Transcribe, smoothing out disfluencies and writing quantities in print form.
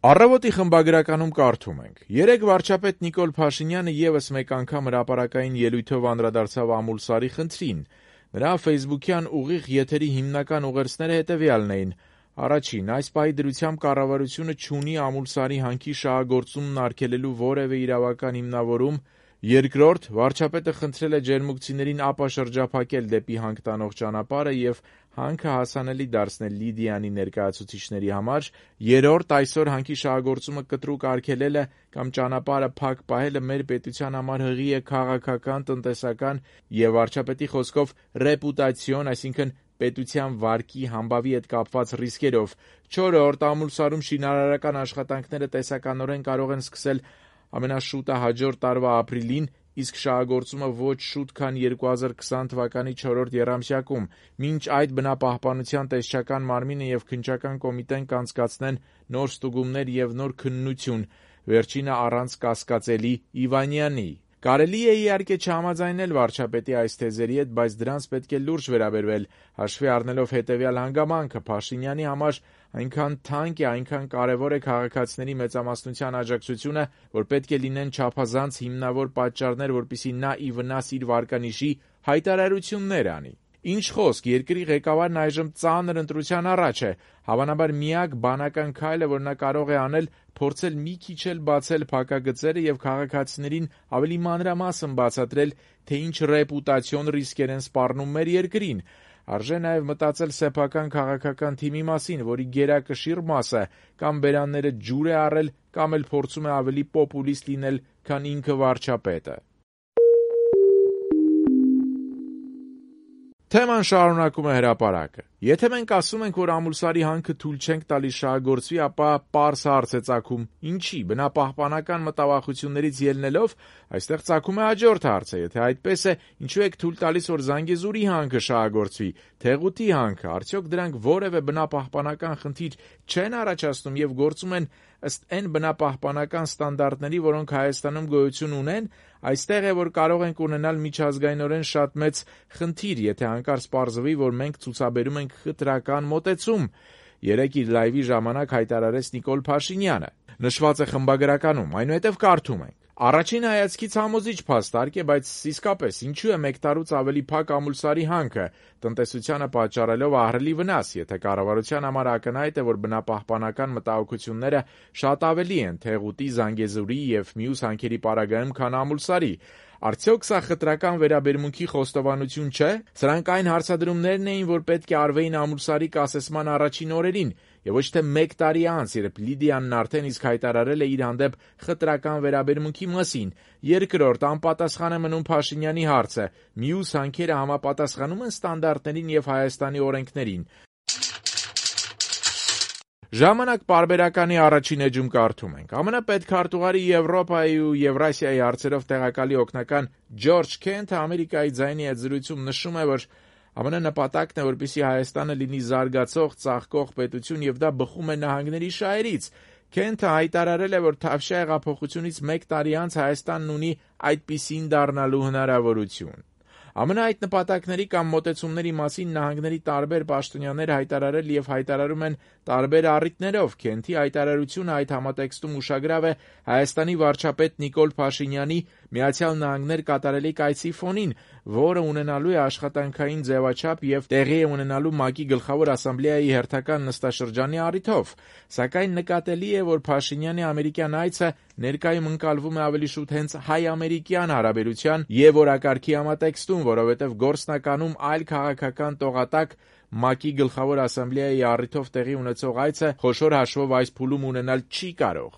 Առավոտի խմբագրականում կարդում ենք. երեկ վարչապետ Նիկոլ Փաշինյանը ևս մեկ անգամ հրապարակային ելույթով անդրադարձավ Ամուլսարի խնդրին։ Նրա ֆեյսբուքյան ուղիղ եթերի հիմնական ուղերձները հետևյալն էին. Առաջին, այս պահի դրությամբ կառավարությունը չունի Ամուլսարի հանքի շահագործումն արգելելու որևէ իրավական հիմնավորում։ Երկրորդ, վարչապետը խնդրել է ջերմուկցիներին ապաշրջափակել դեպի հանք տանող ճանապարհը և հանքը հասանելի դարձնել Լիդիանի ներկայացուցիչների համար։ Երրորդ, այսօր հանքի շահագործումը կտրուկ արգելելը կամ ճանապարհը փակ պահելը մեր պետության համար հղի է քաղաքական, տնտեսական և վարչապետի խոսքով ռեպուտացիոն, այսինքն պետության վարկի համբավի հետ կապված ռիսկերով։ Չորրորդ, Ամուլսարում շինարարական աշխատանքները տեսականորեն կարող են սկսել ամենաշուտը հաջորդ տարվա ապրիլին, իսկ շահագործումը ոչ շուտ, քան 2020 թվականի 4-րդ եռամսյակում։ Մինչ այդ բնապահպանության տեսչական մարմինը և քննչական կոմիտեն կանցկացնեն նոր ստուգումներ և նոր քննություն, վերջինը առանց կասկածելի Իվանյանի։ Կարելի է իհարկե չհամաձայնել վարչապետի այս թեզերի հետ, բայց դրանց պետք է լուրջ վերաբերվել, հաշվի առնելով հետևյալ հանգամանքը. Փաշինյանի համար այնքան թանկ է, այնքան կարևոր է քաղաքացիների մեծամասնության աջակցությունը, որ պետք է լինեն չափազանց հիմնավոր պատճառներ, որպեսզի նա ի վնաս իր վարկանիշի հայտարարություններ անի։ Ինչ խոսք, երկրի ղեկավարն այժմ ծանր ընտրության առաջ է։ Հավանաբար միակ բանական քայլը, որ նա կարող է անել, փորձել մի քիչ էլ բացել փակագծերը և քաղաքացիներին ավելի մանրամասն բացատրել, թե ինչ ռեպուտացիոն ռիսկեր են սպառնում մեր երկրին։ Արժե նաև մտածել սեփական քաղաքական թիմի մասին, որի գերակշիռ մասը կամ բերանները ջուր է առել, կամ էլ փորձում է ավելի պոպուլիստ լինել, քան ինքը վարչապետը։ Թեման շարունակում է հրապարակը. Եթե մենք ասում ենք, որ Ամուլսարի հանքը թույլ չենք տալիս շահագործվի, ապա պարզ հարց է ծագում. ինչի, բնապահպանական մտավախություններից ելնելով, այստեղ ծագում է հաջորդ հարցը. եթե այդպես է, ինչու եք թույլ տալիս, որ Զանգեզուրի հանքը շահագործվի, Թեղուտի հանքը, արդյոք դրանք որևէ բնապահպանական խնդիր չեն առաջացնում և գործում են ըստ այն բնապահպանական ստանդարտների, որոնք Հայաստանում գոյություն ունեն։ Այստեղ է, որ կարող ենք ունենալ միջազգայինորեն շատ մեծ խնդիր, եթե հանկարծ պարզվի, որ մենք ցուցաբերում ենք խտրական մոտեցում, երեկ իր լայվի ժամանակ հայտարարեց Նիկոլ Փաշինյանը։ Նշված է խմբագրականում, այնուհետև կարդում ենք. Առաջին հայացքից համոզիչ փաստարկ է, բայց իսկապես ինչու է մեկ տարուց ավելի փակ Ամուլսարի հանքը, տնտեսությանը պատճառելով ահռելի վնաս, եթե կառավարության համար ակնհայտ է, որ բնապահպանական մտահոգությունները շատ ավելի են Թեղուտի, Զանգեզուրի և մյուս հանքերի պարագայում, քան Ամուլսարի։ Արդյոք սա խտրական վերաբերմունքի խոստովանություն չէ։ Սրանք այն հարցադրումներն էին, որ պետք է արվեին Ամուլսարի կասեցման առաջին օրերին, և ոչ թե մեկ տարի անց, երբ Լիդիանն արդեն իսկ հայտարարել է իր հանդեպ խտրական վերաբերմունքի մասին։ Երկրորդ, անպատասխան է մնում Փաշինյանի հարցը. մյուս հանքերը համապատասխանում են ստանդարտներին և Հայաստանի օրենքներին։ Ժամանակ պարբերականի առաջին էջում կարդում ենք. ԱՄՆ պետքարտուղարի Եվրոպայի ու Եվրասիայի հարցերով տեղակալի օգնական Ջորջ Քենթը Ամերիկայի ձայնի հետ զրույցում նշում է, որ ԱՄՆ նպատակն է, որպեսզի Հայաստանը լինի զարգացող, ծաղկող պետություն, և դա բխում է նահանգների շահերից։ Քենթը հայտարարել է, որ Թավշյա հեղափոխությունից մեկ տարի անց Հայաստանն ունի այդպիսին դառնալու հնարավորություն։ ԱՄՆ այդ նպատակների կամ մոտեցումների մասին նահանգների տարբեր պաշտոնյաներ հայտարարել և հայտարարում են տարբեր առիթներով։ Քենթի հայտարարությունը այդ համատեքստում ուշագրավ է Հայաստանի վարչապետ Նիկոլ Փաշինյանի Միացյալ Նահանգներ կատարելիք այցի ֆոնին, որը ունենալու է աշխատանքային ձևաչափ և տեղի է ունենալու ՄԱԿ-ի Գլխավոր ասամբլեայի հերթական նստաշրջանի առիթով։ Սակայն նկատելի է, որ Փաշինյանի ամերիկյան այցը ներկայում ընկալվում է ավելի շուտ հենց հայ-ամերիկյան հարաբերության և օրակարգի համատեքստում, որովհետև գործնականում այլ քաղաքական տողատակ ՄԱԿ-ի Գլխավոր ասամբլեայի առիթով տեղի ունեցող այցը խոշոր հաշվով այս փուլում ունենալ չի կարող։